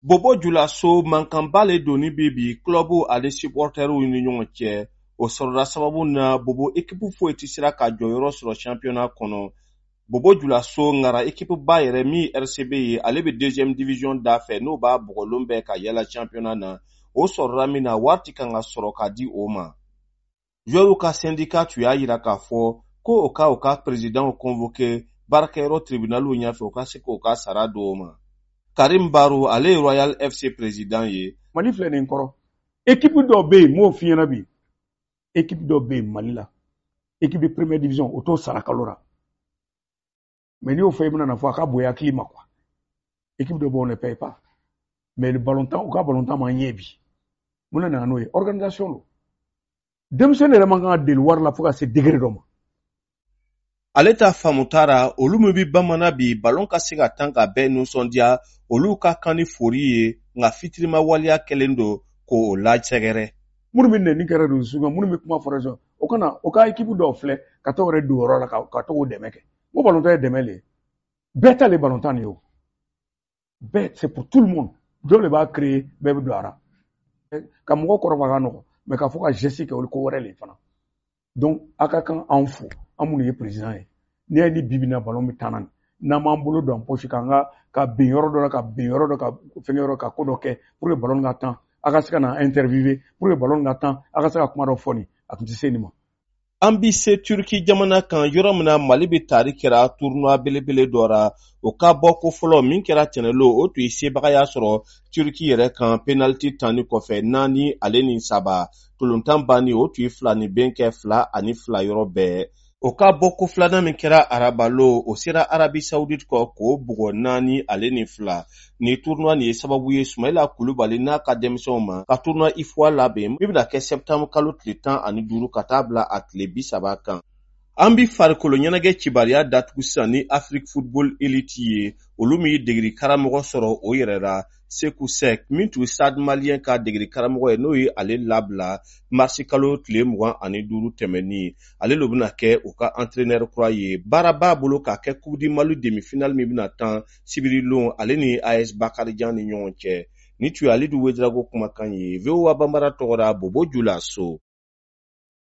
Bobo Julaso, mankanba le donni bi bi club ani supporteriw ni ɲɔgɔn cɛ. O sɔrɔla sababu na Bobo ekipu foyi tɛ sera ka jɔyɔrɔ sɔrɔ championnat kɔnɔ. Bobo Julaso ŋara ekipu ba yɛrɛ min RCB ye, ale bɛ deuxième division da fɛ, n'o b'a bugɔlon bɛɛ ka yala championnat na. O sɔrɔla min na, wari ti kan ka sɔrɔ ka di o ma. Joueurs ka syndicat tun y'a yira k'a fɔ ko o ka présidentw convoqué baarakɛyɔrɔ tribunaliw ɲɛfɛ, u ka se k'o ka sara di o ma. Karim Baro, ale ye Royal FC président ye. Mali filɛ nin kɔrɔ, équipe dɔ bɛ yen, m'o f'i ɲɛna bi, équipe dɔ bɛ yen Mali la, équipe de première division, o t'o sara kalo la. Mais n'i y'o fɔ, i bɛna na fɔ a ka bonya hakili ma quoi. Équipe dɔ bɛ yen, on ne paye pas. Mais le ballontan, u ka ballontan ma ɲɛ bi. Mun de nana n'o ye? Organisation don. Denmisɛnnin yɛrɛ man kan ka deli wari la fo ka se degré dɔ ma. Ale ta faamuta ra, olu min bi bamanan bi balon ka se ka tan ka bɛɛ nisɔndiya, olu ka kan ni fori ye, nka fitirima waleya kɛlen don k'o lasɛgɛrɛ. Minnu bɛ nɛni kɛ réseaux kan, minnu bɛ kuma fɔ réseau, o kana o ka équipe dɔw filɛ ka t'o yɛrɛ don yɔrɔ la ka to k'o dɛmɛ kɛ. N ko balontan ye dɛmɛ le ye, bɛɛ ta le balontan nin ye. O bɛɛ, c'est pour tout le monde. Dɔw de b'a créer, bɛɛ bɛ don a la. Ka mɔgɔ kɔrɔbɔ a ka nɔgɔn, mais k'a fɔ ka geste kɛ, o ye ko wɛrɛ le ye fana. Donc a ka kan anw fo, an minnu ye président ye. N'i y'a ye ni bibi in na ballon bɛ taa n'an m'an bolo don an poche k'an ka ka bin yɔrɔ dɔ la, ka bin yɔrɔ dɔ, ka fɛngɛ yɔrɔ, ka ko dɔ kɛ pour que ballon ka tan, a ka se ka na interviewer pour que ballon ka tan, a ka se ka kuma dɔ fɔ nin, a tun tɛ se nin ma. An bi se Turki jamana kan, yɔrɔ min na Mali bɛ tari kɛra tournoi belebele dɔ ra. O ka bɔ ko fɔlɔ min kɛra tɛnɛlo, o tun ye sebagaya sɔrɔ Turki yɛrɛ kan penalty tanni kɔfɛ, 4-3. Tolontan banni, o tun ye fila ni ben kɛ 2-2 yɔrɔ bɛɛ. O ka bɔ ko filanan min kɛra arabalo, o sera Arabi Saoudite kɔ k'o bugɔ 4-2. Ni tournoi nin ye sababu ye Sumayila Kulubali n'a ka denmisɛnw ma ka tournoi UFOA labɛn min bɛna kɛ septembre kalo tile 15 ka taa bila a tile 30 kan. An bi farikolo ɲɛnajɛ cibariya datugu sisan ni Afrique Football Elite ye, olu min ye degeli karamɔgɔ sɔrɔ o yɛrɛ la, Seku Sek, min tun Stade Malien ka degeli karamɔgɔ ye, n'o ye ale labila marisi kalo tile 25 tɛmɛnin. Ale lo bɛna kɛ u ka entraîneur kura ye. Baara b'a bolo k'a kɛ Coupe du Mali demi-finale min bɛna tan sibiri lon, ale ni AS Bakarijan ni ɲɔgɔn cɛ. Ni tun ye Alidu Wedrago kumakan ye, VOA Banbara tɔgɔ la, Bobo Julaso.